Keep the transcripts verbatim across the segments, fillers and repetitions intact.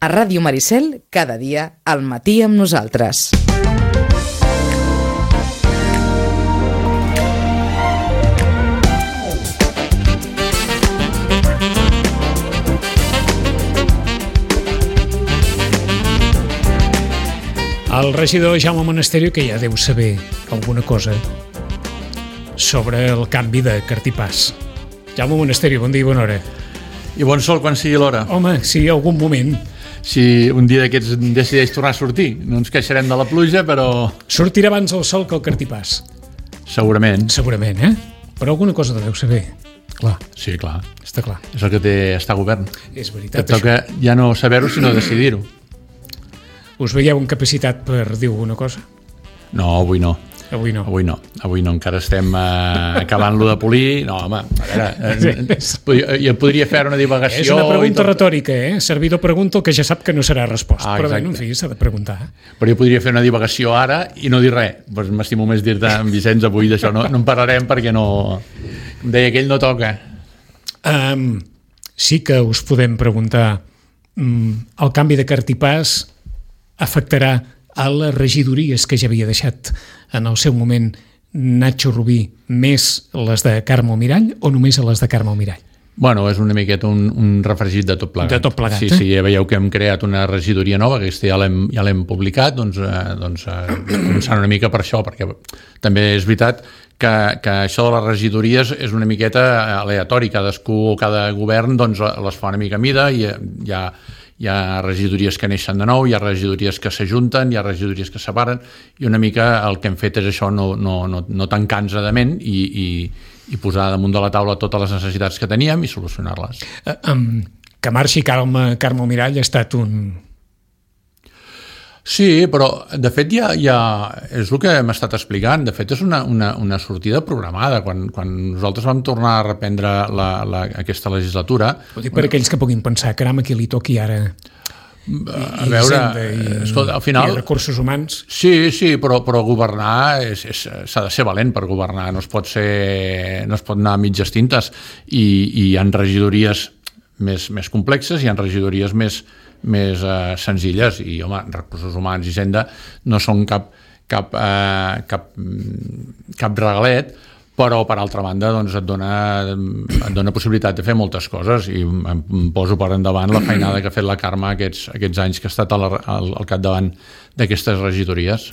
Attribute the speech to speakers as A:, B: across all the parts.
A: A Ràdio Maricel, cada dia, al matí amb nosaltres.
B: El regidor Jaume Monasterio, que ja deu saber alguna cosa sobre el canvi de cartipàs. Jaume Monasterio, bon dia i bona hora.
C: I bon sol quan sigui l'hora.
B: Home, sí, algun moment.
C: Si un dia d'aquests decideix tornar a sortir, no ens queixarem de la pluja, però...
B: Sortirà abans el sol que el cartipàs.
C: Segurament.
B: Segurament, eh? Però alguna cosa deveu saber. Clar.
C: Sí, clar.
B: Està clar.
C: És el que té estar a govern.
B: És veritat,
C: et toca
B: això.
C: Ja no saber-ho, sinó decidir-ho.
B: Us veieu en capacitat per dir alguna cosa?
C: No, avui no.
B: Avui no.
C: Avui no, avui no, encara estem eh, acabant-lo de polir. No, home, a veure, eh, podria, jo podria fer una divagació...
B: És una pregunta retòrica, eh? Servidor pregunta el que ja sap que no serà resposta.
C: Ah,
B: però bé, en fi, s'ha de preguntar.
C: Però jo podria fer una divagació ara i no dir res. Pues m'estimo més dir-te, en Vicenç, avui d'això no, no en parlarem perquè no... Em deia que ell no toca.
B: Um, sí que us podem preguntar um, el canvi de cartipàs afectarà a les regidories que ja havia deixat en el seu moment Nacho Rubí, més les de Carme Almirall o només a les de Carme Almirall?
C: Bueno, és una miqueta un, un refregit de tot plegat.
B: De tot plegat,
C: sí,
B: eh?
C: Sí, ja veieu que hem creat una regidoria nova, que aquesta ja l'hem, ja l'hem publicat, doncs, eh, doncs eh, començant una mica per això, perquè també és veritat que, que això de les regidories és una miqueta aleatori, cadascú o cada govern doncs, les fa una mica a mida i hi ha, hi ha regidories que neixen de nou, hi ha regidories que s'ajunten, hi ha regidories que separen, i una mica el que hem fet és això, no, no, no, no tancar enredament i, i, i posar damunt de la taula totes les necessitats que teníem i solucionar-les.
B: Uh, um, que marxi Carme, Carme Almirall ha estat un...
C: Sí, però de fet ja, ja és el que hem estat explicant, de fet és una, una, una sortida programada. Quan, quan nosaltres vam tornar a reprendre la, la, aquesta legislatura...
B: Ho dic per aquells que puguin pensar, caram, a qui li toqui ara i,
C: a veure,
B: i,
C: escolta, al final,
B: i recursos humans.
C: Sí, sí, però, però governar és, és, s'ha de ser valent per governar, no es pot ser, no es pot anar a mitges tintes i, i hi ha regidories més, més complexes, hi ha regidories més més eh, senzilles i, home, recursos humans i Hisenda no són cap, cap, eh, cap, cap regalet, però per altra banda doncs, et, dona, et dona possibilitat de fer moltes coses i em poso per endavant la feinada que ha fet la Carme aquests, aquests anys que ha estat al, al, al capdavant d'aquestes regidories.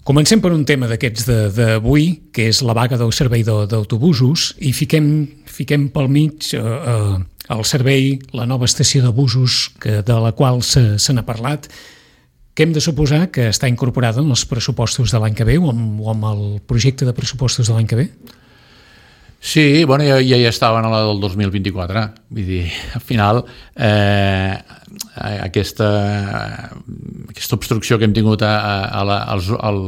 B: Comencem per un tema d'aquests d'avui, que és la vaga del servei d'autobusos, i fiquem, fiquem pel mig eh, eh, el servei, la nova estació de busos que, de la qual se, se n'ha parlat, que hem de suposar que està incorporada en els pressupostos de l'any que ve o amb, o amb el projecte de pressupostos de l'any que ve?
C: Sí, bueno, ja, ja hi estaven a la del dos mil vint-i-quatre. Vull dir, al final, eh, aquesta, aquesta obstrucció que hem tingut a, a la, als, al,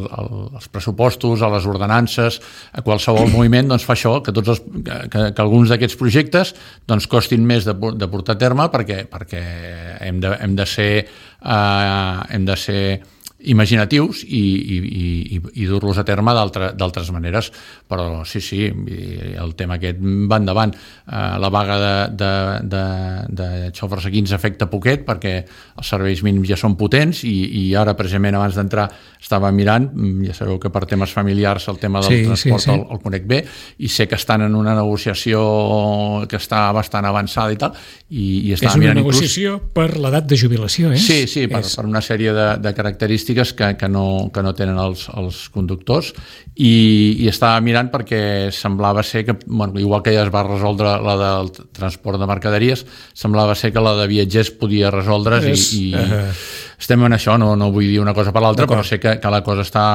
C: als pressupostos, a les ordenances, a qualsevol moviment, doncs fa això, que, tots els, que, que alguns d'aquests projectes doncs, costin més de, de portar a terme perquè, perquè hem, de, hem de ser... Eh, hem de ser imaginatius i, i, i, i dur-los a terme d'altres maneres, però sí, sí, el tema aquest va endavant. Uh, la vaga de, de, de, de xòfers aquí ens afecta poquet perquè els serveis mínims ja són potents i, i ara precisament abans d'entrar estava mirant, ja sabeu que per temes familiars el tema del sí, transport sí, sí. El, el conec bé i sé que estan en una negociació que està bastant avançada i tal i, i
B: és una negociació inclús... per l'edat de jubilació, eh?
C: Sí, sí, per, és... per una sèrie de, de característiques Que, que, no, que no tenen els, els conductors i, i estava mirant perquè semblava ser que, bueno, igual que ja es va resoldre la del transport de mercaderies, semblava ser que la de viatgers podia resoldre's és, i, i uh... estem en això, no, no vull dir una cosa per l'altra, però sé que, que la cosa està,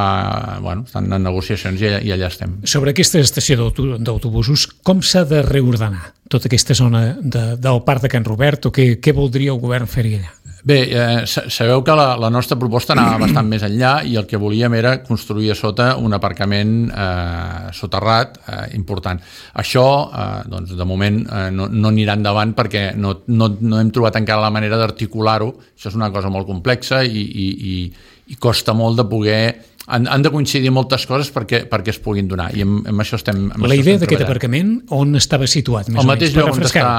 C: bueno, estan en negociacions i, i allà estem.
B: Sobre aquesta estació d'autobusos, com s'ha de reordenar tota aquesta zona de, del parc de Can Robert o què, què voldria el govern fer-hi allà?
C: Bé, eh, sabeu que la, la nostra proposta anava bastant més enllà i el que volíem era construir a sota un aparcament eh, soterrat eh, important. Això, eh, doncs, de moment, eh, no, no anirà endavant perquè no, no, no hem trobat encara la manera d'articular-ho. Això és una cosa molt complexa i, i, i, i costa molt de poder... Han, han de coincidir moltes coses perquè, perquè es puguin donar i amb, amb això estem amb
B: La
C: això
B: idea d'aquest aparcament on estava situat? Més
C: el mateix lloc on està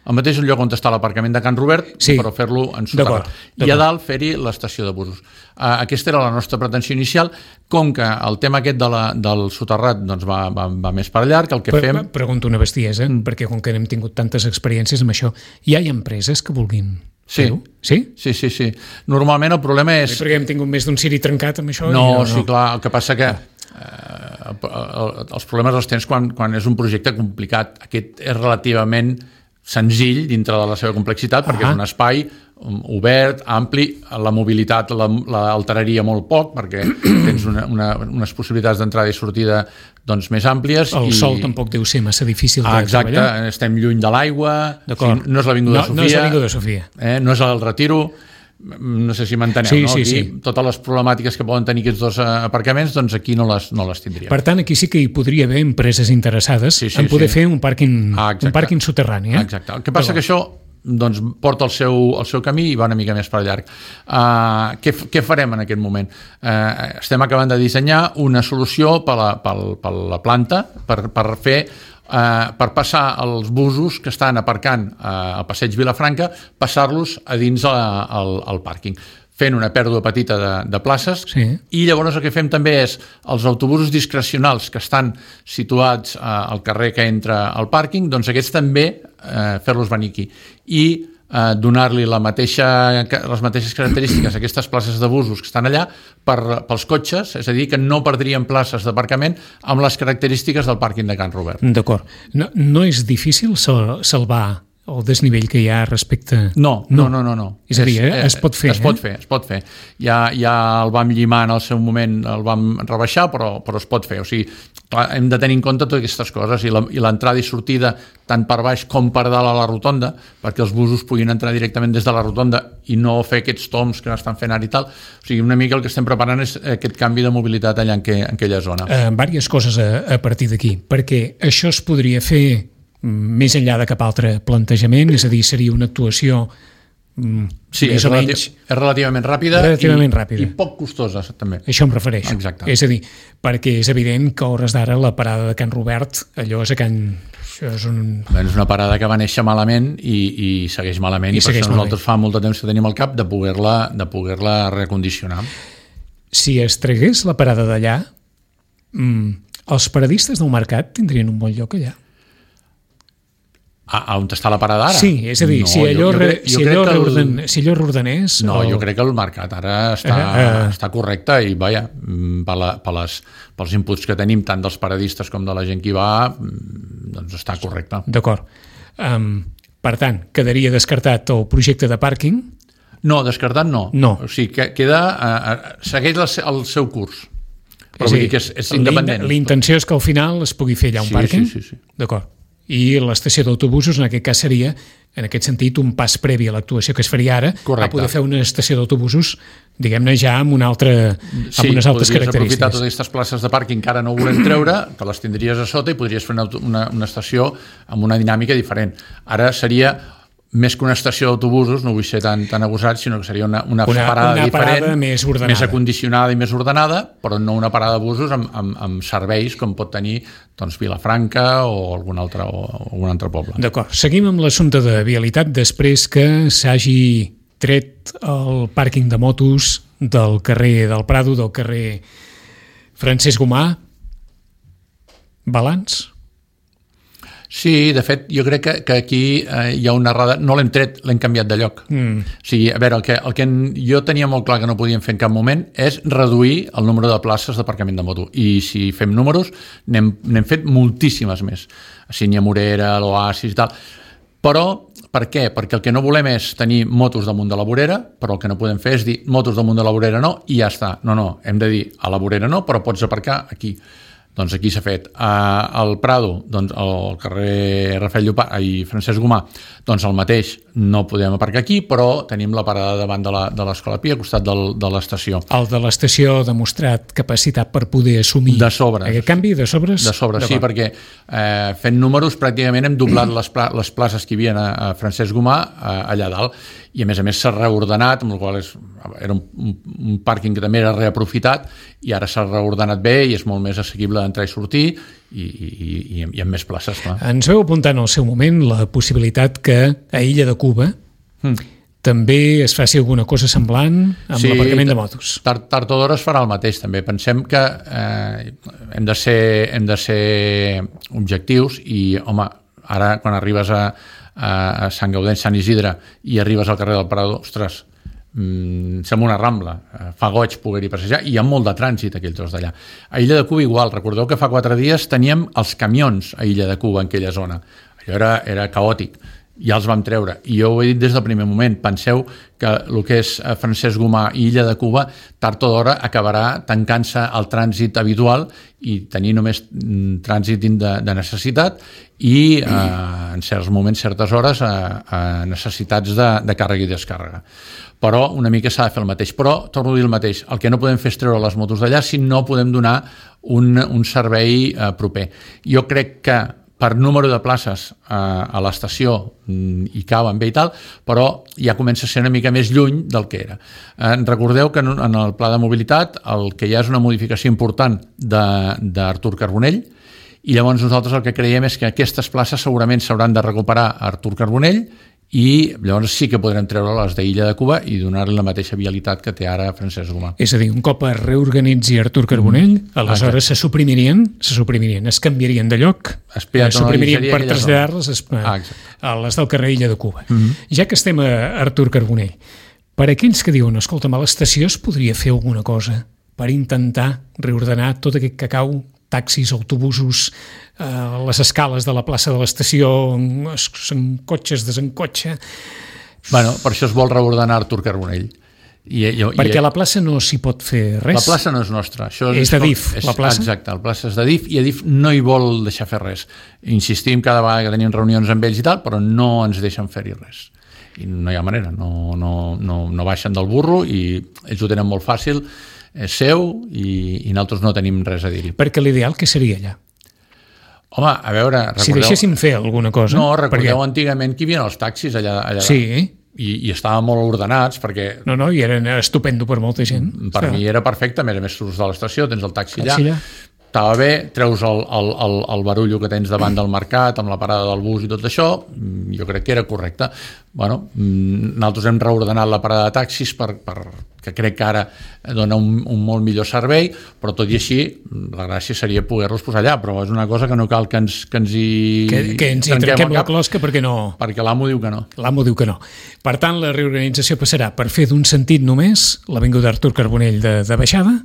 C: el mateix lloc on està l'aparcament de Can Robert, sí. però fer-lo en soterrat. I a dalt fer-hi l'estació de busos. Uh, aquesta era la nostra pretensió inicial, com que el tema aquest de la, del soterrat doncs va, va, va més per llarg, el que
B: per,
C: fem...
B: Pregunto una bestiesa, mm. perquè com que hem tingut tantes experiències amb això, hi ha empreses que vulguin
C: sí.
B: fer-ho? Sí?
C: Sí, sí, sí. Normalment el problema és...
B: Sí, perquè hem tingut més d'un ciri trencat amb això?
C: No,
B: no,
C: sí,
B: no.
C: clar, el que passa que eh, els problemes els tens quan, quan és un projecte complicat. Aquest és relativament senzill dintre de la seva complexitat, perquè ah. és un espai obert, ampli, la mobilitat l'alteraria molt poc, perquè tens una, una, unes possibilitats d'entrada i sortida doncs, més àmplies.
B: El
C: i...
B: sol tampoc deu ser massa difícil de
C: ah, exacte,
B: treballar.
C: Estem lluny de l'aigua, no és l'Avinguda
B: no,
C: Sofia,
B: no és l'Avinguda Sofia.
C: Eh, no és el Retiro, no sé si m'enteneu,
B: sí,
C: no?
B: Sí,
C: aquí,
B: sí.
C: Totes les problemàtiques que poden tenir aquests dos aparcaments, doncs aquí no les, no les tindríem.
B: Per tant, aquí sí que hi podria haver empreses interessades sí, sí, en poder sí. fer un pàrquing, ah, un pàrquing soterrani. Eh?
C: Exacte. El que passa que això doncs, porta el seu, el seu camí i va una mica més per llarg. Uh, què, què farem en aquest moment? Uh, estem acabant de dissenyar una solució per la, per, per la planta, per, per fer Uh, per passar els busos que estan aparcant uh, al passeig Vilafranca, passar-los a dins a, al, al pàrquing, fent una pèrdua petita de, de places
B: sí.
C: i llavors el que fem també és els autobusos discrecionals que estan situats uh, al carrer que entra al pàrquing, doncs aquests també uh, fer-los venir aquí i Uh, donar-li la mateixa, les mateixes característiques a aquestes places de busos que estan allà per, pels cotxes, és a dir, que no perdrien places d'aparcament amb les característiques del pàrquing de Can Robert.
B: D'acord. No, no és difícil salvar el desnivell que hi ha respecte...
C: No, no, no, no. no.
B: És a dir, eh? es pot fer.
C: Es pot fer, es pot fer. Ja, ja el vam llimar en el seu moment, el vam rebaixar, però, però es pot fer. O sigui, clar, hem de tenir en compte totes aquestes coses i l'entrada i sortida tant per baix com per dalt a la rotonda, perquè els busos puguin entrar directament des de la rotonda i no fer aquests toms que estan fent ara i tal. O sigui, una mica el que estem preparant és aquest canvi de mobilitat allà en, que, en aquella zona.
B: Uh, diverses coses a, a partir d'aquí, perquè això es podria fer més enllà de cap altre plantejament, és a dir, seria una actuació mm,
C: sí,
B: més
C: és,
B: o
C: relati
B: menys...
C: és relativament ràpida,
B: relativament
C: i,
B: ràpida
C: i poc costosa, també.
B: Això em refereixo.
C: Exacte.
B: És a dir, perquè és evident que a hores d'ara la parada de Can Robert, allò és a Can... Això és, un...
C: Bé, és una parada que va néixer malament i, i segueix malament, i, i per això nosaltres fa molt de temps que tenim al cap de poder-la de poder-la recondicionar.
B: Si es tragués la parada d'allà, mm, els paradistes del mercat tindrien un bon lloc allà.
C: A, on està la parada ara?
B: Sí, és a dir, no, si allò, jo, jo crec, jo si allò, reorden, el... si allò reordenés...
C: No,
B: o...
C: jo crec que el mercat ara està, uh, uh... està correcte i, vaja, per la, per les, pels inputs que tenim tant dels paradistes com de la gent que hi va, doncs està correcte.
B: D'acord. Um, per tant, quedaria descartat el projecte de pàrquing?
C: No, descartat no.
B: No.
C: O sigui, que queda, uh, segueix el, el seu curs. Però vull dir que és, és independent.
B: L'intenció és que al final es pugui fer allà un
C: sí,
B: pàrquing?
C: Sí, sí, sí.
B: D'acord. I l'estació d'autobusos en aquest cas seria, en aquest sentit, un pas previ a l'actuació que es faria ara,
C: correcte,
B: a poder fer una estació d'autobusos, diguem-ne ja amb una altra, amb
C: sí,
B: unes altres característiques. Sí, podries
C: aprofitar totes aquestes places de pàrquing que ara no volem treure, que les tindries a sota i podries fer una, una, una estació amb una dinàmica diferent. Ara seria més que una estació d'autobusos, no vull ser tan, tan agosat, sinó que seria una, una,
B: una
C: parada
B: una
C: diferent,
B: parada més ordenada,
C: més acondicionada i més ordenada, però no una parada de busos amb, amb, amb serveis com pot tenir doncs, Vilafranca o algun altre, o algun altre poble.
B: D'acord, seguim amb l'assumpte de vialitat després que s'hagi tret el pàrquing de motos del carrer del Prado, del carrer Francesc Gomà. Balanç?
C: Sí, de fet, jo crec que, que aquí eh, hi ha una errada... No l'hem tret, l'hem canviat de lloc. Mm. O sigui, a veure, el que, el que jo tenia molt clar que no podíem fer en cap moment és reduir el número de places d'aparcament de moto. I si fem números, n'hem fet moltíssimes més. A Sínia Morera, l'Oasis i tal. Però, per què? Perquè el que no volem és tenir motos damunt de la vorera, però el que no podem fer és dir motos damunt de la vorera no, i ja està. No, no, hem de dir a la vorera no, però pots aparcar aquí. Doncs aquí s'ha fet. Uh, al Prado, doncs, al carrer Rafael Llopart i Francesc Gomà, doncs el mateix, no podem aparcar aquí, però tenim la parada davant de l'Escola Pi, al costat del, de l'estació.
B: El de l'estació ha demostrat capacitat per poder assumir
C: de sobres.
B: Aquest canvi de sobres?
C: De sobres, sí, perquè eh, fent números pràcticament hem doblat les, pla les places que hi havia a, a Francesc Gomà a, allà dalt. i a més a més s'ha reordenat, amb el qual és, era un, un, un pàrquing que també era reaprofitat i ara s'ha reordenat bé i és molt més assequible d'entrar i sortir i, i, i, i amb més places, clar.
B: Ens veu apuntar en el seu moment la possibilitat que a Illa de Cuba mm. també es faci alguna cosa semblant amb sí, l'aparcament de motos.
C: Tard, tard o d'hora es farà el mateix, també. Pensem que eh, hem, de ser, hem de ser objectius i, home, ara quan arribes a, a, a Sant Gaudens, Sant Isidre i arribes al carrer del Parador, ostres, mmm, sembla una rambla, fa goig poder-hi passejar i hi ha molt de trànsit aquell tros d'allà. A Illa de Cuba igual, recordeu que fa quatre dies teníem els camions a Illa de Cuba en aquella zona. Allò era, era caòtic. Ja els vam treure, i jo ho he dit des del primer moment. Penseu que el que és Francesc Gomà i Illa de Cuba tard o d'hora acabarà tancant-se el trànsit habitual i tenir només trànsit de, de necessitat i eh, en certs moments, certes hores a, a necessitats de, de càrrega i descàrrega. Però una mica s'ha de fer el mateix. Però torno a dir el mateix, el que no podem fer és treure les motos d'allà si no podem donar un, un servei eh, proper. Jo crec que per número de places eh, a l'estació hi caben bé i tal, però ja comença a ser una mica més lluny del que era. Eh, recordeu que en, en el pla de mobilitat el que hi ha és una modificació important d'Artur Carbonell i llavors nosaltres el que creiem és que aquestes places segurament s'hauran de recuperar a Artur Carbonell i llavors sí que podrem treure les d'Illa de Cuba i donar-li la mateixa vialitat que té ara Francesc Gomà.
B: És a dir, un cop es reorganitzi Artur Carbonell, mm. aleshores Exacte. se suprimirien, se suprimirien, es canviarien de lloc, es suprimirien per traslladar-les a, a les del carrer Illa de Cuba. Mm -hmm. Ja que estem a Artur Carbonell, per aquells que diuen, escolta'm, a l'estació es podria fer alguna cosa per intentar reordenar tot aquest cacau, taxis, autobusos, eh, les escales de la plaça de l'estació, s'encotxa, desencotxa...
C: Bueno, per això es vol reordenar Artur Carbonell. I, i,
B: Perquè
C: i,
B: a la plaça no s'hi pot fer res.
C: La plaça no és nostra. Això
B: és, és de D I F,
C: és,
B: la plaça?
C: Exacte, la plaça és de D I F i a D I F no hi vol deixar fer res. Insistim cada vegada que tenim reunions amb ells i tal, però no ens deixen fer-hi res. I no hi ha manera, no, no, no, no baixen del burro i ells ho tenen molt fàcil, és seu i, i nosaltres no tenim res a dir-hi.
B: Perquè l'ideal què seria allà?
C: Home, a veure... Recordeu...
B: Si deixéssim fer alguna cosa...
C: No, recordeu perquè... antigament que hi havia els taxis allà... allà
B: sí.
C: I, i estaven molt ordenats perquè...
B: No, no, i eren estupendo per molta gent.
C: Per Clar. mi era perfecte, a més a més surts de l'estació, tens el taxi allà, allà. Estava bé, treus el, el, el, el barullo que tens davant del mercat amb la parada del bus i tot això, jo crec que era correcte. Bueno, nosaltres hem reordenat la parada de taxis per, per, que crec que ara dona un, un molt millor servei, però tot i així la gràcia seria poder-los posar allà, però és una cosa que no cal que ens, que ens hi...
B: Que, que ens hi trenquem la closca perquè no...
C: Perquè l'amo diu que no.
B: L'amo diu que no. Per tant, la reorganització passarà per fer d'un sentit només l'Avinguda Artur Carbonell de, de baixada,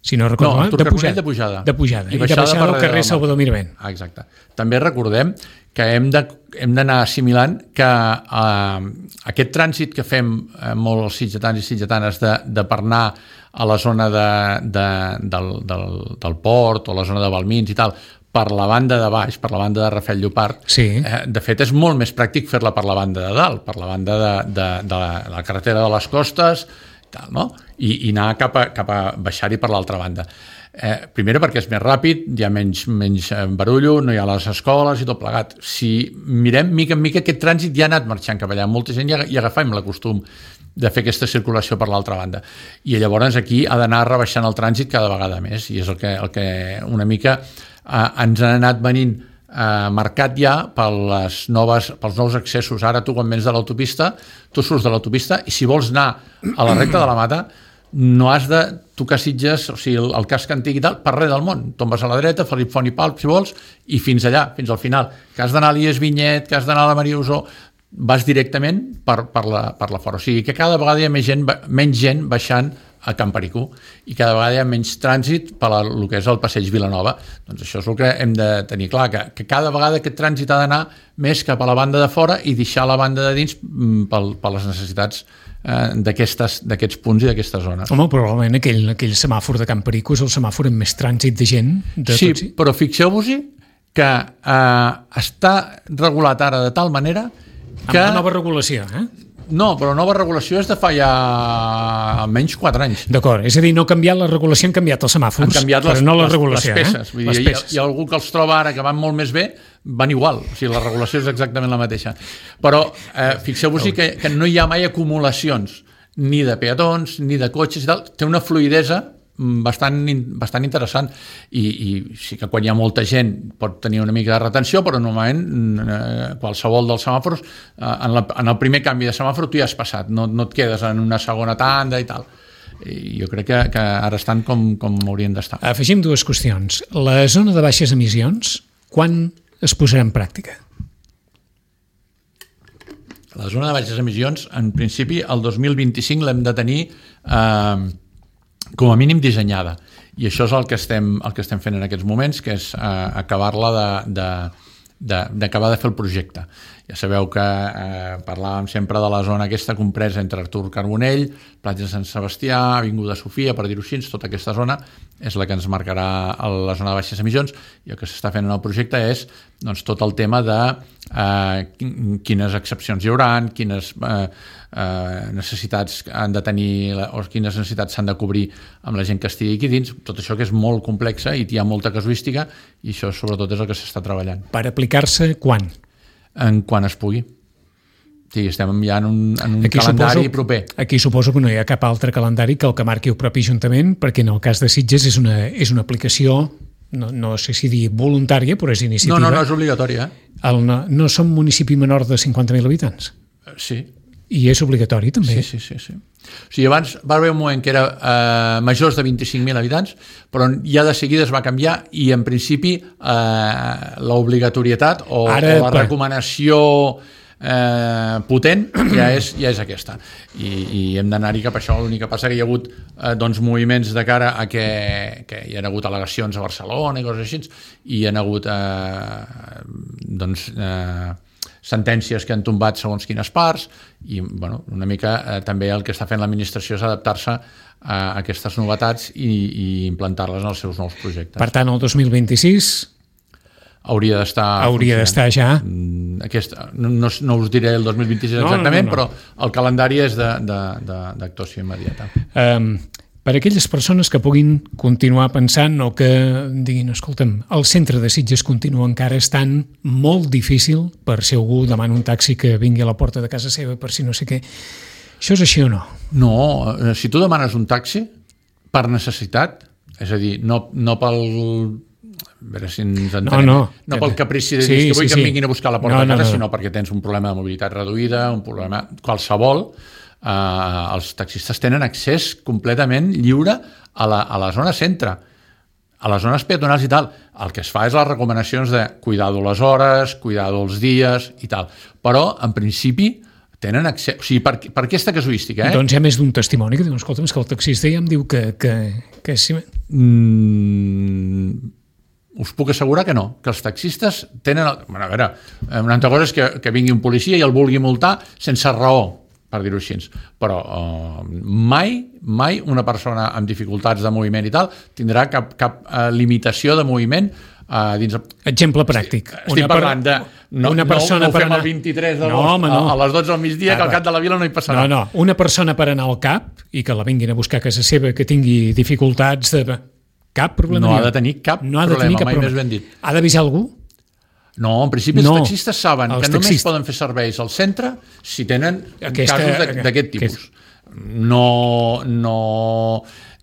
B: si no recordo
C: no,
B: mal,
C: de pujada. de pujada.
B: De pujada. I, I baixada, baixada al carrer Salvador Mirabent.
C: Ah, exacte. També recordem que hem de, hem d'anar assimilant que eh, aquest trànsit que fem eh, molt els sitgetans i sitgetanes de, de per anar a la zona de, de, del, del, del port o la zona de Balmins i tal, per la banda de baix, per la banda de Rafel Llopart,
B: sí.
C: eh, de fet és molt més pràctic fer-la per la banda de dalt, per la banda de, de, de, la, de la carretera de les Costes, tal, no? I, i anar cap a, cap a baixar-hi per l'altra banda. Eh, primera perquè és més ràpid, hi ha menys, menys barullo, no hi ha les escoles i tot plegat. Si mirem mica en mica, aquest trànsit ja ha anat marxant cap allà. Molta gent ja, ja agafem la costum de fer aquesta circulació per l'altra banda. I llavors aquí ha d'anar rebaixant el trànsit cada vegada més, i és el que, el que una mica eh, ens han anat venint eh, marcat ja per les noves, pels nous accessos. Ara tu quan vens de l'autopista, tu surts de l'autopista i si vols anar a la recta de la Mata no has de tocar Sitges, o sigui, el, el casc antic i tal, per res del món. Tombes a la dreta, Felip Font i Palp, si vols, i fins allà, fins al final. Que has d'anar a l'I E S Vinyet, que has d'anar a la Maria Usó, vas directament per, per, la, per la fora. O sigui, que cada vegada hi ha més gent, menys gent baixant a Can Pericú i cada vegada hi ha menys trànsit per la, el que és el passeig Vilanova. Doncs això és el que hem de tenir clar, que, que cada vegada aquest trànsit ha d'anar més cap a la banda de fora i deixar la banda de dins per, per les necessitats eh, d'aquests punts i d'aquesta zona.
B: Home, probablement aquell, aquell semàfor de Can Pericú és el semàfor amb més trànsit de gent. De
C: sí,
B: tots...
C: però fixeu-vos-hi que eh, està regulat ara de tal manera que...
B: Amb la nova regulació, eh?
C: No, però nova regulació és de fa ja almenys quatre anys.
B: D'acord, és a dir, no ha canviat la regulació, han canviat els semàfors,
C: han canviat les,
B: però no la
C: les,
B: regulació.
C: Les peces.
B: Eh?
C: Vull dir,
B: les peces.
C: Hi, ha, hi ha algú que els troba ara que van molt més bé, van igual. O sigui, la regulació és exactament la mateixa. Però eh, fixeu-vos que, que no hi ha mai acumulacions ni de peatons, ni de cotxes i tal. Té una fluïdesa bastant, bastant interessant i, i sí que quan hi ha molta gent pot tenir una mica de retenció, però normalment eh, qualsevol dels semàfors eh, en, la, en el primer canvi de semàfor tu ja has passat, no, no et quedes en una segona tanda i tal. I jo crec que, que ara estan com, com haurien d'estar.
B: Afegim dues qüestions. La zona de baixes emissions, quan es posarà en pràctica?
C: La zona de baixes emissions, en principi, el dos mil vint-i-cinc l'hem de tenir eh, com a mínim dissenyada, i això és el que estem, el que estem fent en aquests moments, que és eh, acabar-la de, de, de, d'acabar de fer el projecte. Ja sabeu que eh, parlàvem sempre de la zona aquesta compresa entre Artur Carbonell, Platja de Sant Sebastià, Avinguda Sofia, per dir-ho així, tota aquesta zona és la que ens marcarà la zona de baixes emissions, i el que s'està fent en el projecte és doncs, tot el tema de eh, quines excepcions hi haurà, quines eh, eh, necessitats han de tenir o quines necessitats s'han de cobrir amb la gent que estigui aquí dins, tot això que és molt complexa i hi ha molta casuística, i això sobretot és el que s'està treballant.
B: Per aplicar-se quan?
C: En quan es pugui. Sí, estem ja en un, en un
B: aquí
C: calendari
B: suposo,
C: proper.
B: Aquí suposo que no hi ha cap altre calendari que el que marqui el propi Ajuntament, perquè en el cas de Sitges és una, és una aplicació, no, no sé si dir voluntària, però és iniciativa.
C: No, no, no és obligatòria. Eh?
B: El, no, no som municipi menor de cinquanta mil habitants?
C: Sí.
B: I és obligatori, també?
C: Sí, sí, sí. sí. O sigui, abans va haver un moment que era eh, majors de vint-i-cinc mil habitants, però ja de seguida es va canviar i, en principi, eh, l'obligatorietat o, Ara, o la per... recomanació eh, potent ja és, ja és aquesta. I, i hem d'anar-hi cap a això. L'únic que passa que hi ha hagut eh, doncs, moviments de cara a que, que hi ha hagut al·legacions a Barcelona i coses així, i hi ha hagut eh, doncs... Eh, sentències que han tombat segons quines parts, i bueno, una mica eh, també el que està fent l'administració és adaptar-se a aquestes novetats i, i implantar-les en els seus nous projectes.
B: Per tant, el dos mil vint-i-sis
C: hauria d'estar
B: hauria d'estar ja.
C: Aquest, no, no, no us diré el dos mil vint-i-sis exactament, no, no, no. Però el calendari és d'actuació immediata.
B: Um, per a aquelles persones que puguin continuar pensant o que diguin, escolta'm, el centre de Sitges continua encara estant molt difícil per si algú demana un taxi que vingui a la porta de casa seva per si no sé què. Això és així o no?
C: No, si tu demanes un taxi per necessitat, és a dir, no, no pel... A veure si ens entenem. No, no. No pel caprici de dir sí, que vull sí, que em vinguin a buscar a la porta no, de casa, no, no. sinó perquè tens un problema de mobilitat reduïda, un problema qualsevol. Uh, els taxistes tenen accés completament lliure a la, a la zona centre, a les zones peatonals i tal. El que es fa és les recomanacions de cuidado les hores, cuidado els dies i tal, però en principi tenen accés, o sigui, per, per aquesta casuística, eh?
B: Doncs hi ha més d'un testimoni que diu, escolta'm, és que el taxista ja em diu que... que, que sí...
C: mm, us puc assegurar que no, que els taxistes tenen... El, bueno, a veure, una altra cosa és que, que vingui un policia i el vulgui multar sense raó, per dir-ho així, però uh, mai, mai una persona amb dificultats de moviment i tal tindrà cap, cap uh, limitació de moviment uh, dins...
B: Exemple pràctic.
C: Estic, estic parlant de... No,
B: una persona
C: no, no ho fem
B: anar...
C: el vint-i-tres d'agost no, no. a, a les dotze del migdia, ah, que al cap de la vila no hi passarà.
B: No, no, una persona per anar al cap i que la vinguin a buscar a casa seva, que tingui dificultats de... Cap problema.
C: No ha de tenir cap
B: no ha de
C: problema,
B: tenir cap
C: mai
B: problema.
C: més ben dit.
B: Ha d'avisar algú?
C: No, en principi
B: no,
C: els taxistes saben que
B: taxistes.
C: només poden fer serveis al centre si tenen Aquesta, casos d'aquest tipus. Aquest... No, no,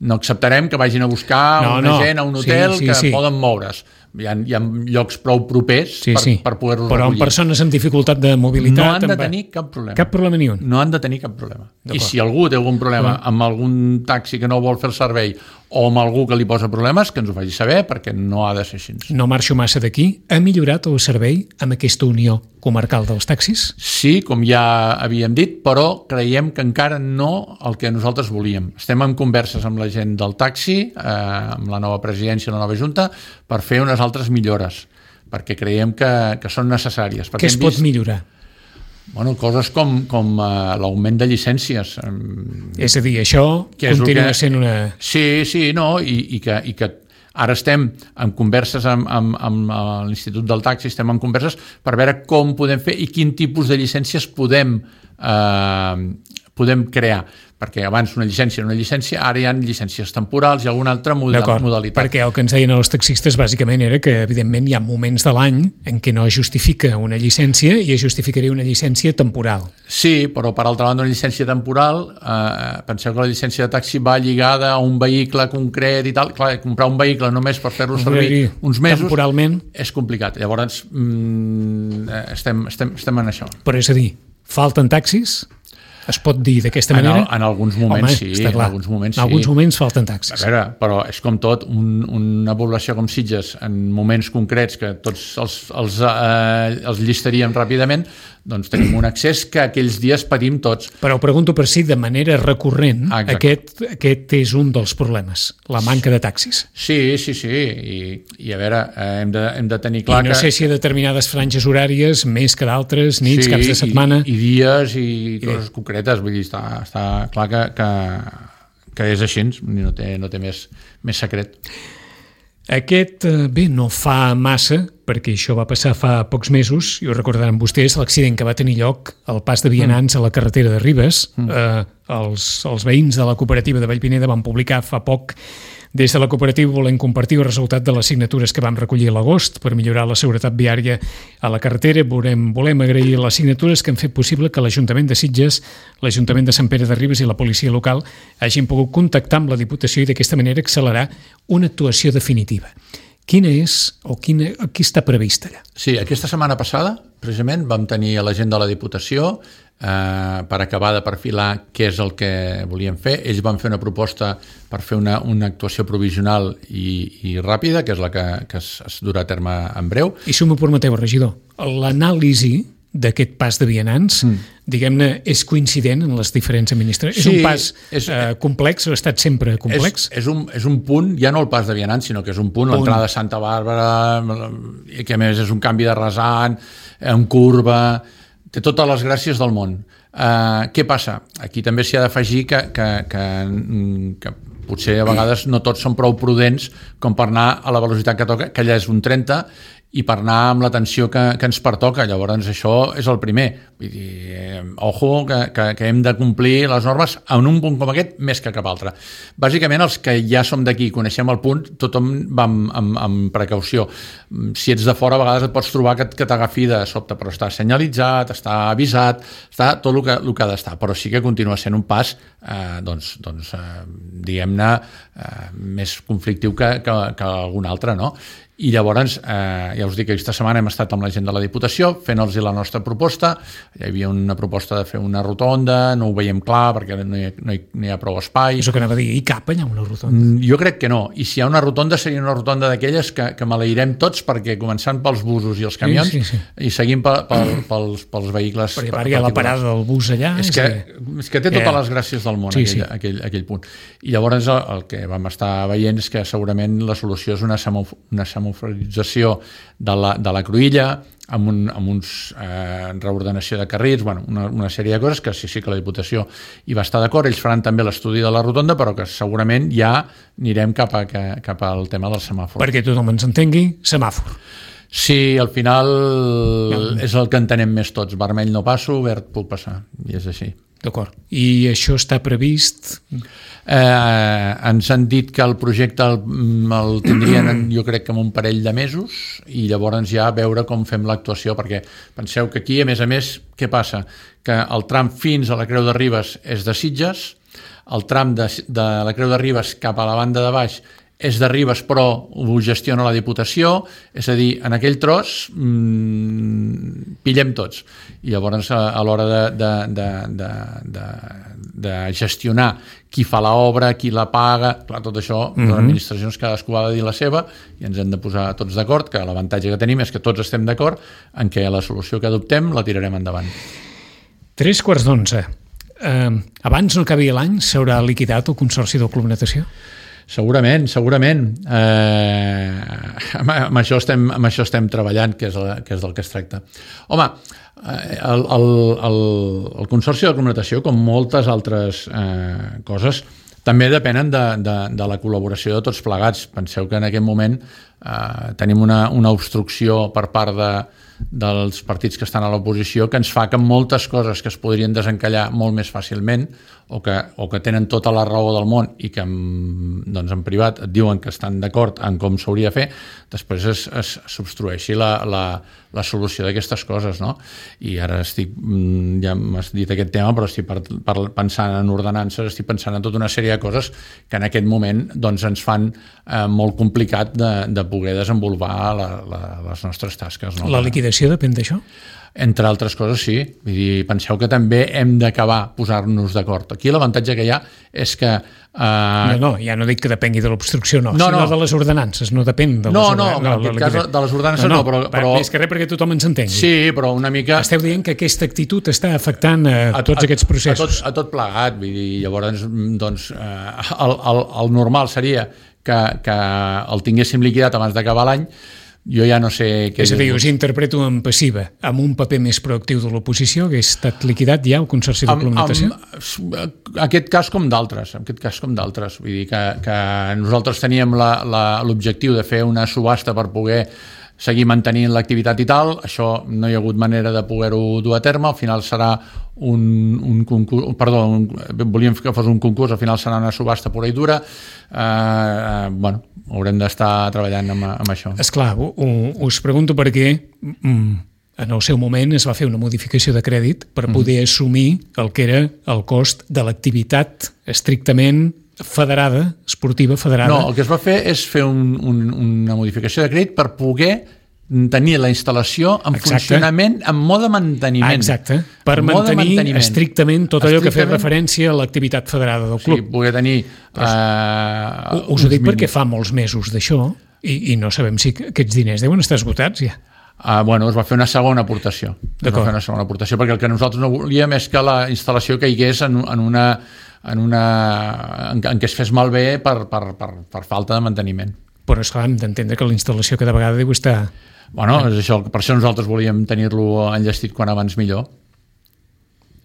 C: no acceptarem que vagin a buscar
B: no,
C: una
B: no.
C: gent a un hotel
B: sí, sí,
C: que
B: sí.
C: poden moure's. Hi ha, hi ha llocs prou propers
B: sí,
C: per,
B: sí.
C: per poder-los
B: Però
C: recollir.
B: Però amb persones amb dificultat de mobilitat...
C: No han de
B: amb...
C: tenir cap problema.
B: Cap problema ni un.
C: No han de tenir cap problema. I si algú té algun problema mm. amb algun taxi que no vol fer el servei o amb algú que li posa problemes, que ens ho faci saber, perquè no ha de ser així.
B: No marxo massa d'aquí. Ha millorat el servei amb aquesta unió comarcal dels taxis?
C: Sí, com ja havíem dit, però creiem que encara no el que nosaltres volíem. Estem en converses amb la gent del taxi, eh, amb la nova presidència i la nova junta, per fer unes altres millores, perquè creiem que, que són necessàries.
B: Què es pot vist... millorar?
C: Bueno, coses com, com uh, l'augment de llicències.
B: És a dir, això continua
C: que...
B: sent una...
C: Sí, sí, no, i, i, que, i que Ara estem en converses amb, amb, amb l'Institut del Taxi, estem en converses per veure com podem fer i quin tipus de llicències podem, eh, podem crear. Perquè abans una llicència era una llicència, ara hi ha llicències temporals i alguna altra modalitat.
B: Perquè el que ens deien els taxistes bàsicament era que evidentment hi ha moments de l'any en què no es justifica una llicència i es justificaria una llicència temporal.
C: Sí, però per altra banda una llicència temporal, eh, penseu que la llicència de taxi va lligada a un vehicle concret i tal. Clar, comprar un vehicle només per fer-lo servir uns mesos
B: temporalment
C: és complicat. Llavors mm, estem, estem, estem en això.
B: Però és a dir, falten taxis? Es pot dir d'aquesta manera?
C: En, en alguns moments
B: Home,
C: sí,
B: en
C: alguns moments
B: sí. En alguns moments falten taxis.
C: A veure, però és com tot, un, una població com Sitges, en moments concrets que tots els, els, eh, els llistaríem ràpidament, doncs tenim un accés que aquells dies patim tots.
B: Però pregunto per si de manera recurrent aquest, aquest és un dels problemes, la manca de taxis.
C: Sí, sí, sí, i, i a veure, hem de, hem de tenir clar
B: que... I no
C: que...
B: sé si a determinades franges horàries, més que d'altres, nits,
C: sí,
B: caps de setmana...
C: I, i dies i, I coses bé. concretes, vull dir, està, està clar que, que, que és així, no té, no té més, més secret.
B: Aquest, bé, no fa massa, perquè això va passar fa pocs mesos, i ho recordaran vostès, l'accident que va tenir lloc al pas de vianants mm. a la carretera de Ribes. Mm. Eh, els, els veïns de la cooperativa de Vallpineda van publicar fa poc des de la cooperativa volem compartir el resultat de les signatures que vam recollir a l'agost per millorar la seguretat viària a la carretera. Volem, volem agrair les signatures que han fet possible que l'Ajuntament de Sitges, l'Ajuntament de Sant Pere de Ribes i la policia local hagin pogut contactar amb la Diputació i d'aquesta manera accelerar una actuació definitiva. Quina és o quina, qui està prevista allà?
C: Sí, aquesta setmana passada, precisament, vam tenir a la gent de la Diputació eh, per acabar de perfilar què és el que volíem fer. Ells van fer una proposta per fer una, una actuació provisional i, i ràpida, que és la que, que es, es durà a terme en breu.
B: I si m'ho permeteu, regidor, l'anàlisi d'aquest pas de vianants, mm. diguem-ne, és coincident en les diferents administracions? Sí, és un pas és, eh, complex, ha estat sempre complex?
C: És, és, un, és un punt, ja no el pas de vianants, sinó que és un punt, punt. l'entrada de Santa Bàrbara, que a més és un canvi de rasant, en curva, té totes les gràcies del món. Uh, què passa? Aquí també s'hi ha d'afegir que, que, que, que potser a vegades no tots són prou prudents com per anar a la velocitat que toca, que allà és un trenta, i per anar amb l'atenció que, que ens pertoca. Llavors això és el primer. Vull dir, eh, ojo, que, que, que hem de complir les normes en un punt com aquest més que cap altre. Bàsicament, els que ja som d'aquí i coneixem el punt, tothom va amb, amb, amb precaució. Si ets de fora, a vegades et pots trobar que, que t'agafi de sobte, però està senyalitzat, està avisat, està tot el que, el que ha d'estar, però sí que continua sent un pas eh, doncs, doncs, eh, diguem-ne, eh, més conflictiu que, que, que algun altre, no? I llavors, eh, ja us dic que aquesta setmana hem estat amb la gent de la Diputació fent-los la nostra proposta. Hi havia una proposta de fer una rotonda, no ho veiem clar perquè no hi ha, no hi, no hi ha prou espai.
B: És el que anava a dir, hi cap allà una rotonda?
C: Mm, jo crec que no, i si hi ha una rotonda seria una rotonda d'aquelles que, que maleirem tots, perquè començant pels busos i els camions, sí, sí, sí. i seguint pel, pel, pels, pels vehicles
B: perquè per, hi ha la parada del bus allà.
C: És que, és que té totes les gràcies del món, sí, aquell, sí. Aquell, aquell punt. I llavors el, el que vam estar veient és que segurament la solució és una semàfor, una semaforització de la, de la cruïlla amb, un, amb uns eh, reordenació de carrils, bueno, una, una sèrie de coses que sí, sí que la Diputació hi va estar d'acord. Ells faran també l'estudi de la rotonda, però que segurament ja anirem cap, a, cap al tema del semàfor.
B: Perquè tothom ens entengui, semàfor.
C: Sí, al final és el que entenem més tots. Vermell no passo, verd puc passar, i és així.
B: D'acord. I això està previst?
C: Eh, ens han dit que el projecte el, el tindrien jo crec que en un parell de mesos i llavors ja veure com fem l'actuació, perquè penseu que aquí a més a més què passa? Que el tram fins a la Creu de Ribes és de Sitges, el tram de, de la Creu de Ribes cap a la banda de baix és de Ribes però ho gestiona la Diputació, és a dir, en aquell tros mmm, pillem tots. I llavors a, a l'hora de, de, de, de, de, de gestionar qui fa l'obra, qui la paga, clar, tot això, mm-hmm. les administracions cadascú ha de dir la seva i ens hem de posar tots d'acord, que l'avantatge que tenim és que tots estem d'acord en què la solució que adoptem la tirarem endavant. Tres
B: quarts d'onze. Uh, abans no acabi l'any s'haurà liquidat el Consorci del Club Natació?
C: Segurament, segurament. Eh, amb, amb, això estem, amb això estem treballant, que és, el, que és del que es tracta. Home, el, el, el, el Consorci de la Club Natació, com moltes altres eh, coses, també depenen de, de, de la col·laboració de tots plegats. Penseu que en aquest moment eh, tenim una, una obstrucció per part de, dels partits que estan a l'oposició que ens fa que moltes coses que es podrien desencallar molt més fàcilment o que, o que tenen tota la raó del món i que en, doncs en privat et diuen que estan d'acord en com s'hauria de fer, després es, es s'obstrueixi la, la, la solució d'aquestes coses, no? I ara estic, ja m'has dit aquest tema, però estic per, per, pensant en ordenances, estic pensant en tota una sèrie de coses que en aquest moment doncs, ens fan eh, molt complicat de, de poder desenvolupar la, la, les nostres tasques. No?
B: La liquidació depèn d'això?
C: Entre altres coses, sí. Vull dir, penseu que també hem d'acabar posar-nos d'acord. Aquí l'avantatge que hi ha és que... Eh...
B: No, no, ja no dic que depengui de l'obstrucció, no, no, sinó no. de les ordenances, no depèn de les
C: no,
B: ordenances.
C: No, no, en aquest cas de les ordenances no, no però, però...
B: Més que res perquè tothom ens entengui.
C: Sí, però una mica...
B: Esteu dient que aquesta actitud està afectant a, a tots a, aquests processos.
C: A tot, a tot plegat, vull dir, llavors, doncs, eh, el, el, el normal seria que, que el tinguéssim liquidat abans d'acabar l'any. Jo ja no sé... Què
B: és a dir, us interpreto en passiva, amb un paper més proactiu de l'oposició, que ha estat liquidat ja el Consorci de Complementació?
C: En aquest cas com d'altres, en aquest cas com d'altres. Vull dir que, que nosaltres teníem l'objectiu de fer una subhasta per poder seguir mantenint l'activitat i tal, això no hi ha hagut manera de poder-ho dur a terme, al final serà un, un concurs, perdó, un, volíem que fos un concurs, al final serà una subhasta pura i dura, eh, bueno, haurem d'estar treballant amb, amb això.
B: Esclar, us pregunto perquè en el seu moment es va fer una modificació de crèdit per poder mm. assumir el que era el cost de l'activitat estrictament federada, esportiva federada.
C: No, el que es va fer és fer un, un, una modificació de crèdit per poder tenir la instal·lació en Exacte. funcionament en mode manteniment.
B: Exacte, per mantenir manteniment. estrictament tot allò estrictament... que fa referència a l'activitat federada del club.
C: Sí, poder tenir...
B: Pues, uh, us ho dic perquè fa molts mesos d'això i, i no sabem si aquests diners deuen estar esgotats ja.
C: Uh, bueno, es va fer una segona aportació. Es va fer una segona aportació perquè el que nosaltres no volíem és que la instal·lació caigués en, en una... en, una, en, en què es fes malbé per, per, per, per falta de manteniment.
B: Però esclar, hem d'entendre que la instal·lació cada vegada deu estar...
C: Bueno, és això, per això nosaltres volíem tenir-lo enllestit quan abans millor.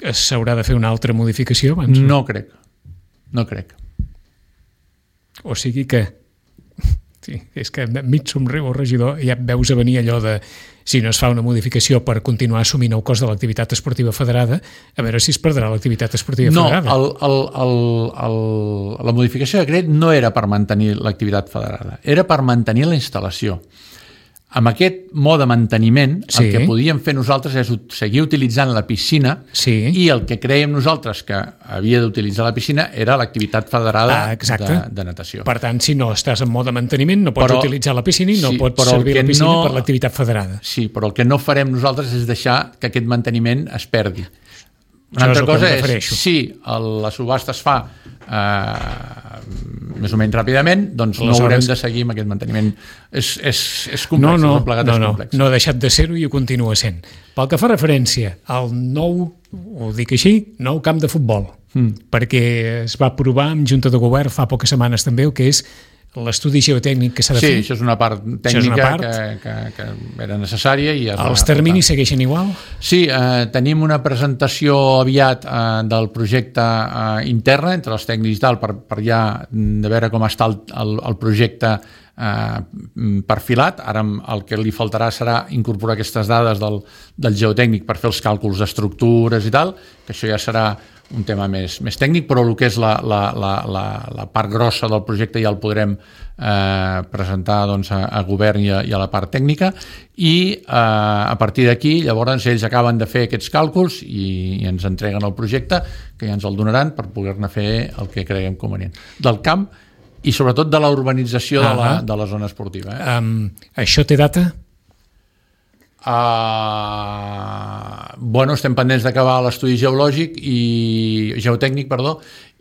B: S'haurà de fer una altra modificació abans?
C: No crec, no crec.
B: O sigui que... Sí, és que mig somriu el regidor, ja veus a venir allò de si no es fa una modificació per continuar assumint el cost de l'activitat esportiva federada, a veure si es perdrà l'activitat esportiva
C: no,
B: federada.
C: No, el, el, el, el, la modificació de crèdit no era per mantenir l'activitat federada, era per mantenir la instal·lació. Amb aquest mode de manteniment, sí. el que podíem fer nosaltres és seguir utilitzant la piscina
B: sí.
C: i el que creiem nosaltres que havia d'utilitzar la piscina era l'activitat federada ah, de, de natació.
B: Per tant, si no estàs en mode de manteniment, no pots però, utilitzar la piscina i no sí, pots servir la piscina no, per l'activitat federada.
C: Sí, però el que no farem nosaltres és deixar que aquest manteniment es perdi. Una
B: Això
C: altra
B: és
C: cosa
B: és,
C: si sí, la subhasta es fa eh, més o menys ràpidament, doncs Aleshores... no haurem de seguir amb aquest manteniment. És, és, és complex,
B: no, no,
C: és plegat,
B: no,
C: és
B: no,
C: complex.
B: No ha deixat de ser-ho i ho continua sent. Pel que fa referència al nou, ho dic així, nou camp de futbol, mm. perquè es va aprovar en Junta de Govern fa poques setmanes també el que és l'estudi geotècnic que s'ha de
C: sí,
B: fer.
C: Sí, això és una part tècnica una part. Que, que, que era necessària. I es
B: Els terminis va... segueixen igual?
C: Sí, eh, tenim una presentació aviat eh, del projecte eh, intern entre els tècnics i tal, per, per ja de veure com està el, el, el projecte eh, perfilat. Ara el que li faltarà serà incorporar aquestes dades del, del geotècnic per fer els càlculs d'estructures i tal, que això ja serà un tema més, més tècnic, però el que és la, la, la, la, la part grossa del projecte ja el podrem eh, presentar doncs, a, a govern i a, i a la part tècnica i eh, a partir d'aquí llavors ells acaben de fer aquests càlculs i, i ens entreguen el projecte que ja ens el donaran per poder-ne fer el que creguem convenient. Del camp i sobretot de la urbanització ah, de, la, de la zona esportiva. Eh?
B: Um, això té data?
C: Uh, bueno, estem pendents d'acabar l'estudi geològic i geotècnic, perdó,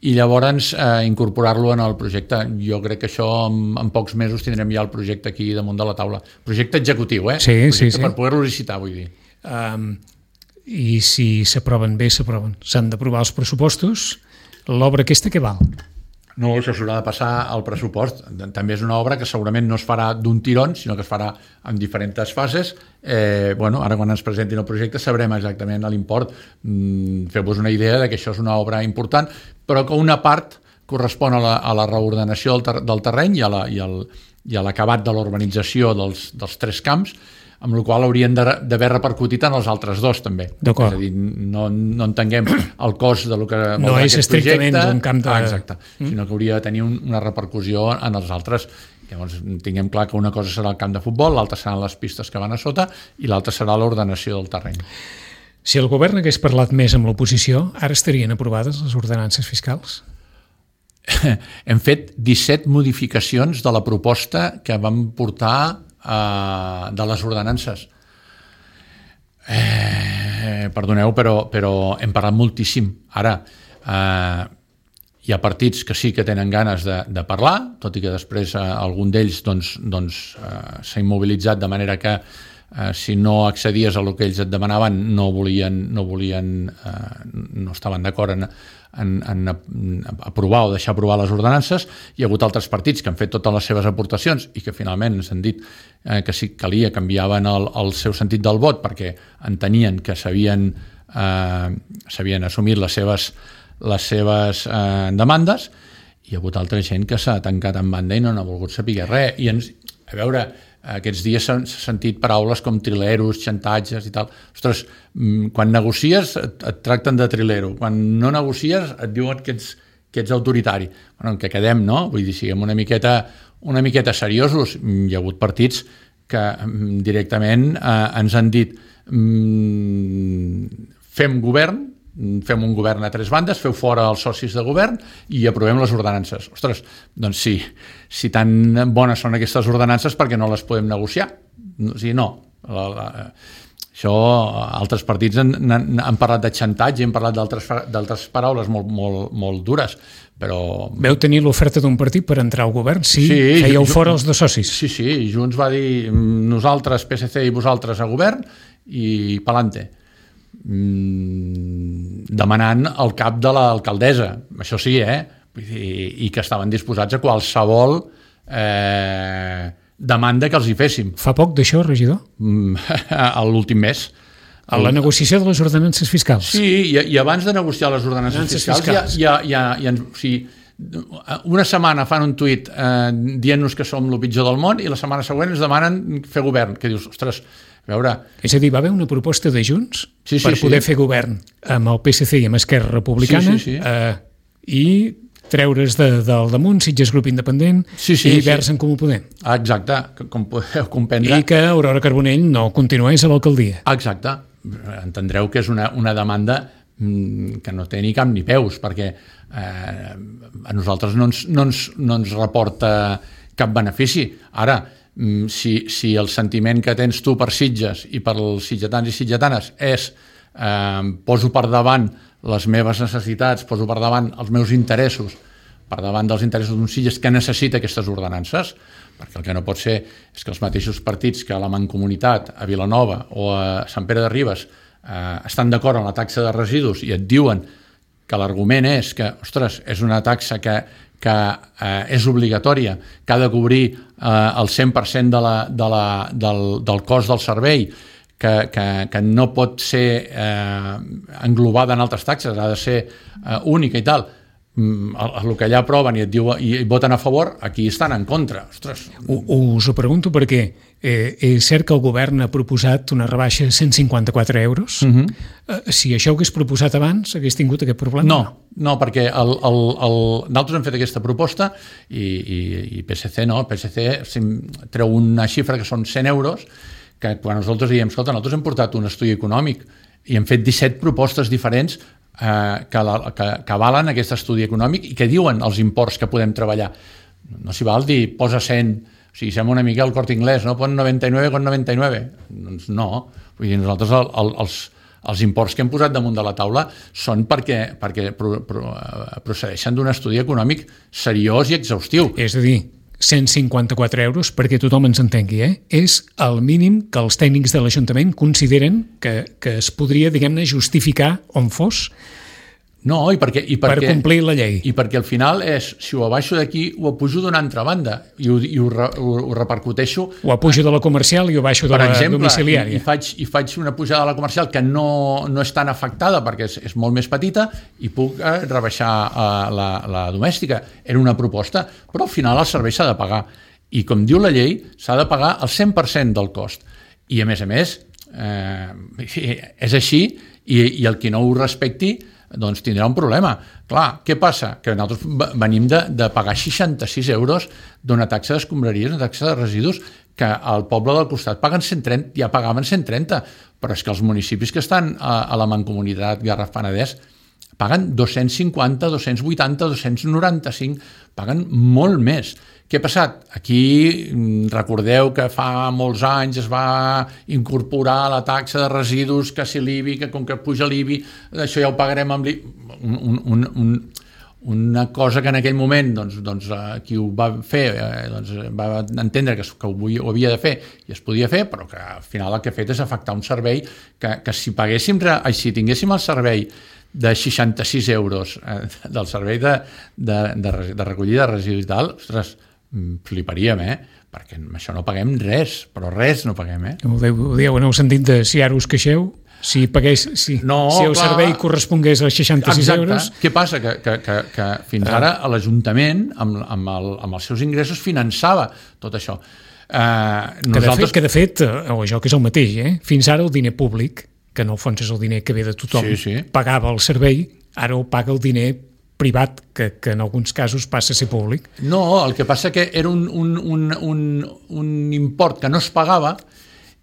C: i llavors uh, incorporar-lo en el projecte. Jo crec que això en, en pocs mesos tindrem ja el projecte aquí damunt de la taula. Projecte executiu, eh?
B: Sí,
C: projecte
B: sí, sí.
C: Per poder-lo licitar, vull dir.
B: Um, I si s'aproven bé, s'aproven. S'han d'aprovar els pressupostos. L'obra aquesta què val?
C: No, això s'haurà de passar al pressupost. També és una obra que segurament no es farà d'un tirón, sinó que es farà en diferents fases. Eh, bueno, ara quan ens presentin el projecte sabrem exactament l'import. Mm, feu-vos una idea de que això és una obra important, però que una part correspon a la, a la reordenació del, ter del terreny i a la, i al, i a l'acabat de l'urbanització dels, dels tres camps, amb la qual haurien d'haver repercutit en els altres dos també. És a dir, no, no entenguem el cost de lo que
B: no és estrictament un camp de...
C: Ah, exacte, mm. sinó que hauria de tenir un, una repercussió en els altres. Llavors tinguem clar que una cosa serà el camp de futbol, l'altra seran les pistes que van a sota i l'altra serà l'ordenació del terreny.
B: Si el govern hagués parlat més amb l'oposició, ara estarien aprovades les ordenances fiscals?
C: Hem fet disset modificacions de la proposta que vam portar Uh, de les ordenances. Eh, perdoneu, però, però hem parlat moltíssim. Ara, uh, hi ha partits que sí que tenen ganes de, de parlar, tot i que després uh, algun d'ells doncs, doncs, uh, s'ha immobilitzat de manera que uh, si no accedies a el que ells et demanaven no volien, no, volien, uh, no estaven d'acord en En, en aprovar o deixar aprovar les ordenances. Hi ha hagut altres partits que han fet totes les seves aportacions i que finalment ens han dit eh, que si calia canviaven el, el seu sentit del vot perquè entenien que s'havien eh, s'havien assumit les seves, les seves eh, demandes. Hi ha hagut altra gent que s'ha tancat en banda i no n'ha volgut saber res. I ens, a veure, aquests dies s'han sentit paraules com trileros, xantatges i tal. Ostres, quan negocies et, et tracten de trilero, quan no negocies et diuen que ets, que ets autoritari. Bueno, en què quedem, no? Vull dir, siguem una miqueta, una miqueta seriosos. Hi ha hagut partits que directament eh, ens han dit mmm, fem govern, fem un govern a tres bandes, feu fora els socis de govern i aprovem les ordenances. Ostres, doncs sí, si tan bones són aquestes ordenances, perquè no les podem negociar? O sigui, no. La, la, això, altres partits han, han, han parlat de xantatge, han parlat d'altres paraules molt, molt, molt dures, però...
B: Veu tenir l'oferta d'un partit per entrar al govern? Sí, sí fèieu fora els dos socis.
C: Sí, sí, Junts va dir nosaltres, P S C i vosaltres a govern i pa'lante. Demanant el cap de l'alcaldessa, això sí, eh? I, i que estaven disposats a qualsevol eh, demanda que els hi féssim.
B: Fa poc d'això, regidor?
C: A l'últim mes.
B: A la negociació de les ordenances fiscals.
C: Sí, i, i abans de negociar les ordenances, ordenances fiscals, fiscals. Ja, ja, ja, ja, o sigui, una setmana fan un tuit eh, dient-nos que som el pitjor del món i la setmana següent ens demanen fer govern, que dius, ostres, a veure...
B: És a dir, va haver una proposta de Junts
C: sí, sí,
B: per poder
C: sí.
B: fer govern amb el P S C i amb Esquerra Republicana
C: sí, sí, sí.
B: Eh, i treure's de, del damunt Sitges Grup Independent
C: sí, sí,
B: i Verds
C: sí.
B: en Comú Podem.
C: Exacte, com podeu comprendre.
B: I que Aurora Carbonell no continués a l'alcaldia.
C: Exacte. Entendreu que és una, una demanda que no té ni cap ni peus, perquè eh, a nosaltres no ens, no, ens, no ens reporta cap benefici. Ara, si, si el sentiment que tens tu per Sitges i per els sitgetans i sitgetanes és eh, poso per davant les meves necessitats, poso per davant els meus interessos, per davant dels interessos d'un Sitges que necessita aquestes ordenances, perquè el que no pot ser és que els mateixos partits que a la Mancomunitat, a Vilanova o a Sant Pere de Ribes eh, estan d'acord amb la taxa de residus i et diuen que l'argument és que, ostres, és una taxa que, que eh, és obligatòria, que ha de cobrir eh, el cent per cent de la, de la, del, del cost del servei, que, que, que no pot ser eh, englobada en altres taxes, ha de ser eh, única i tal. El que allà aproven i et diu, i voten a favor, aquí estan en contra. Ostres.
B: Us ho pregunto perquè eh, és cert que el govern ha proposat una rebaixa de cent cinquanta-quatre euros. Uh-huh. eh, si això ho hagués proposat abans, hagués tingut aquest problema?
C: No, no perquè el, el, el, nosaltres hem fet aquesta proposta i, i, i P S C no, P S C treu una xifra que són cent euros, que quan nosaltres diem, escolta, nosaltres hem portat un estudi econòmic i hem fet disset propostes diferents Eh, que, la, que, que avalen aquest estudi econòmic i que diuen els imports que podem treballar. No s'hi val dir posa cent, o sigui, sembla una mica el Corte Inglés, no? Pon noranta-nueve con noranta-nueve. Doncs no, vull dir, nosaltres el, el, els, els imports que hem posat damunt de la taula són perquè, perquè pro, pro, procedeixen d'un estudi econòmic seriós i exhaustiu.
B: És a dir, cent cinquanta-quatre euros, perquè tothom ens entengui, eh? És el mínim que els tècnics de l'Ajuntament consideren que, que es podria, diguem-ne, justificar on fos.
C: No, i perquè, i perquè,
B: per complir la llei.
C: I perquè al final és, si ho abaixo d'aquí, ho apujo d'una altra banda i ho, i ho, ho, ho repercuteixo.
B: Ho apujo de la comercial i ho baixo de
C: per
B: la
C: exemple,
B: domiciliària.
C: I, i, faig, i faig una pujada de la comercial que no, no és tan afectada perquè és, és molt més petita i puc eh, rebaixar eh, la, la domèstica. Era una proposta, però al final el servei s'ha de pagar. I com diu la llei, s'ha de pagar el cent per cent del cost. I a més a més, eh, és així i, i el qui no ho respecti doncs tindrà un problema. Clar, què passa? Que nosaltres venim de, de pagar seixanta-sis euros d'una taxa d'escombraries, una taxa de residus, que al poble del costat paguen cent trenta, ja pagaven cent trenta, però és que els municipis que estan a, a la Mancomunitat Garraf-Penedès paguen dos-cents cinquanta, dos-cents vuitanta, dos-cents noranta-cinc, paguen molt més. Què ha passat? Aquí recordeu que fa molts anys es va incorporar la taxa de residus, que si l'I B I, que com que puja l'I B I, això ja ho pagarem amb l'I B I. Un, un, un, una cosa que en aquell moment doncs, doncs, qui ho va fer eh, doncs, va entendre que, que ho, ho havia de fer i es podia fer, però que al final el que ha fet és afectar un servei que, que si paguéssim, si tinguéssim el servei de seixanta-sis euros eh, del servei de, de, de, de recollida de residus i tal, ostres, fliparíem, eh? Perquè amb això no paguem res, però res no paguem, eh?
B: Ho dieu en el sentit de si ara us queixeu, si pagués, si,
C: no,
B: si el
C: clar,
B: servei correspongués a seixanta-sis
C: exacte.
B: Euros...
C: Què passa? Que, que, que, que fins ara l'Ajuntament, amb, amb, el, amb els seus ingressos, finançava tot això. Uh,
B: que, nosaltres... de fet, que de fet, o això que és el mateix, eh? Fins ara el diner públic, que en el fons és el diner que ve de tothom,
C: sí, sí.
B: pagava el servei, ara ho paga el diner privat, que, que en alguns casos passa a ser públic.
C: No, el que passa que era un, un, un, un, un import que no es pagava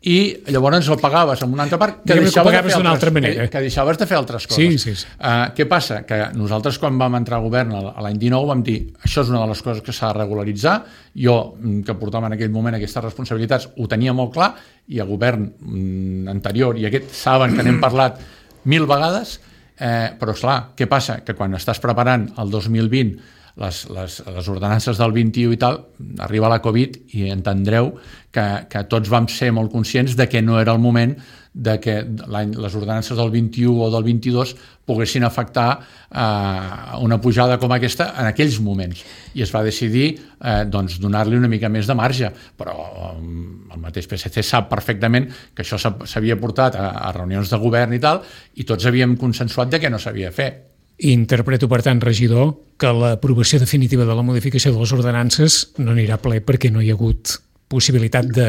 C: i llavors el pagaves amb una altra part que, deixaves,
B: que,
C: de fer altres,
B: manera.
C: que, que deixaves de fer altres coses.
B: Sí, sí, sí.
C: Uh, què passa? Que nosaltres quan vam entrar a govern l'any dinou vam dir això és una de les coses que s'ha de regularitzar. Jo, que portava en aquell moment aquestes responsabilitats, ho tenia molt clar i el govern mm, anterior i aquest saben que n'hem parlat mil vegades. Eh, però esclar, què passa? Que quan estàs preparant el dos mil vint les, les, les ordenances del vint-i-u i tal, arriba la Covid i entendreu que, que tots vam ser molt conscients de que no era el moment de que les ordenances del vint-i-u o del vint-i-dos poguessin afectar eh, una pujada com aquesta en aquells moments. I es va decidir eh, doncs, donar-li una mica més de marge, però eh, el mateix P S C sap perfectament que això s'havia portat a, a reunions de govern i tal, i tots havíem consensuat de que no s'havia de fer.
B: Interpreto, per tant, regidor, que l'aprovació definitiva de la modificació de les ordenances no anirà a ple perquè no hi ha hagut possibilitat de...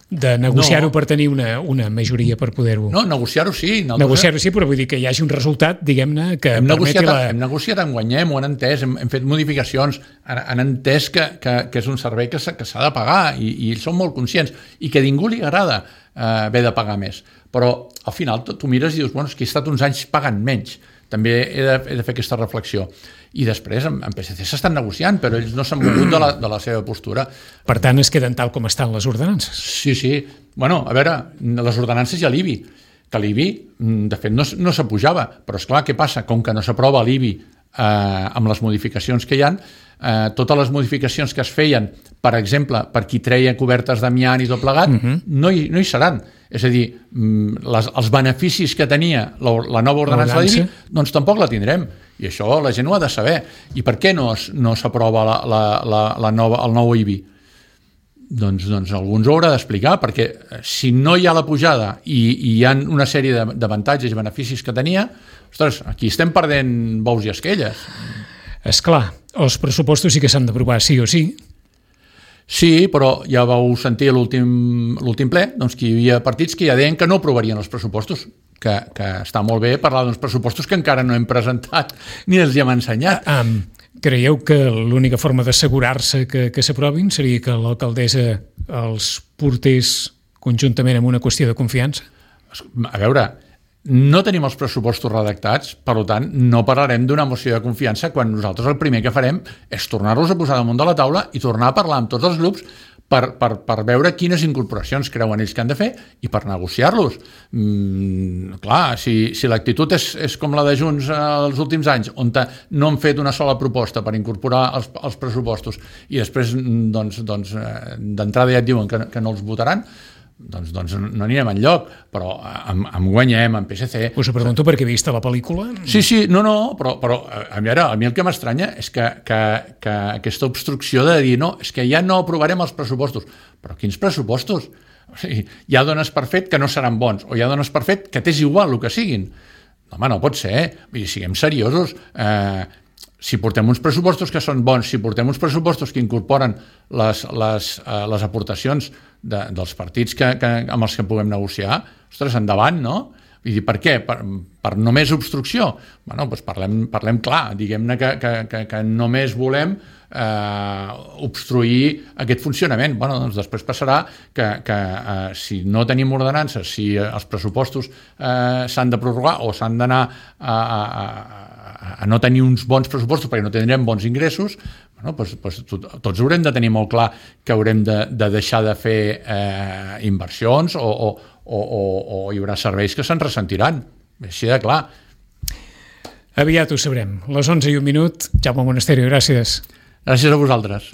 B: de negociar-ho no. per tenir una, una majoria per poder-ho...
C: No, negociar-ho sí.
B: Negociar-ho sí, però vull dir que hi hagi un resultat, diguem-ne, que
C: hem
B: permeti
C: negociat,
B: la...
C: Hem negociat en guanyem, ho han entès, hem, hem fet modificacions, han, han entès que, que, que és un servei que s'ha de pagar i, i ells són molt conscients i que a ningú li agrada eh, haver de pagar més. Però al final tu, tu mires i dius, bueno, és que he estat uns anys pagant menys. També he de, he de fer aquesta reflexió. I després en, en P S C s'estan negociant, però ells no s'han mogut de la, de la seva postura.
B: Per tant, es queden tal com estan les ordenances.
C: Sí, sí. Bueno, a veure, les ordenances hi ha l'I B I, que l'I B I, de fet, no, no s'apujava, però és clar, què passa? Com que no s'aprova l'I B I eh, amb les modificacions que hi ha, eh, totes les modificacions que es feien, per exemple, per qui treia cobertes d'amiant i tot plegat, uh-huh. no, hi, no hi seran. És a dir, les, els beneficis que tenia la, la nova ordenança de l'I B I, doncs tampoc la tindrem. I això la gent ho ha de saber. I per què no, no s'aprova la, la, la, la nova, el nou I B I? Doncs, doncs alguns ho haurà d'explicar, perquè si no hi ha la pujada i, i hi ha una sèrie d'avantatges i beneficis que tenia, ostres, aquí estem perdent bous i esquelles.
B: És clar, els pressupostos sí que s'han d'aprovar sí o sí.
C: Sí, però ja vau sentir a l'últim ple doncs, que hi havia partits que ja deien que no aprovarien els pressupostos, que, que està molt bé parlar d'uns pressupostos que encara no hem presentat ni els hem ensenyat.
B: Um, creieu que l'única forma d'assegurar-se que, que s'aprovin seria que l'alcaldessa els portés conjuntament amb una qüestió de confiança?
C: A veure, no tenim els pressupostos redactats, per tant, no parlarem d'una moció de confiança quan nosaltres el primer que farem és tornar-los a posar damunt de la taula i tornar a parlar amb tots els grups per, per, per veure quines incorporacions creuen ells que han de fer i per negociar-los. Mm, clar, si, si l'actitud és, és com la de Junts els últims anys, on no han fet una sola proposta per incorporar els, els pressupostos i després doncs, doncs, d'entrada ja et diuen que, que no els votaran, doncs, doncs no anirem enlloc, però em, em guanyem, en P S C...
B: Us ho pregunto perquè he vist la pel·lícula.
C: Sí, sí, no, no, però, però a, mi ara, a mi el que m'estranya és que, que, que aquesta obstrucció de dir no, és que ja no aprovarem els pressupostos. Però quins pressupostos? O sigui, ja dones per fet que no seran bons, o ja dones per fet que t'és igual el que siguin. Home, no pot ser, eh? Vull dir, siguem seriosos. Eh, si portem uns pressupostos que són bons, si portem uns pressupostos que incorporen les, les, eh, les aportacions de, dels partits que, que, amb els que puguem negociar, ostres, endavant, no? Vull dir, per què? Per, per només obstrucció? Bueno, doncs parlem, parlem clar, diguem-ne que, que, que, que només volem eh, obstruir aquest funcionament. Bueno, doncs després passarà que, que eh, si no tenim ordenances, si els pressupostos eh, s'han de prorrogar o s'han d'anar a, a, a a no tenir uns bons pressupostos perquè no tindrem bons ingressos, bueno, doncs, doncs, tots haurem de tenir molt clar que haurem de, de deixar de fer eh, inversions o, o, o, o, o hi haurà serveis que se'n ressentiran. Així de clar.
B: Aviat ho sabrem. Les onze i un minut. Jaume Monasterio, gràcies.
C: Gràcies a vosaltres.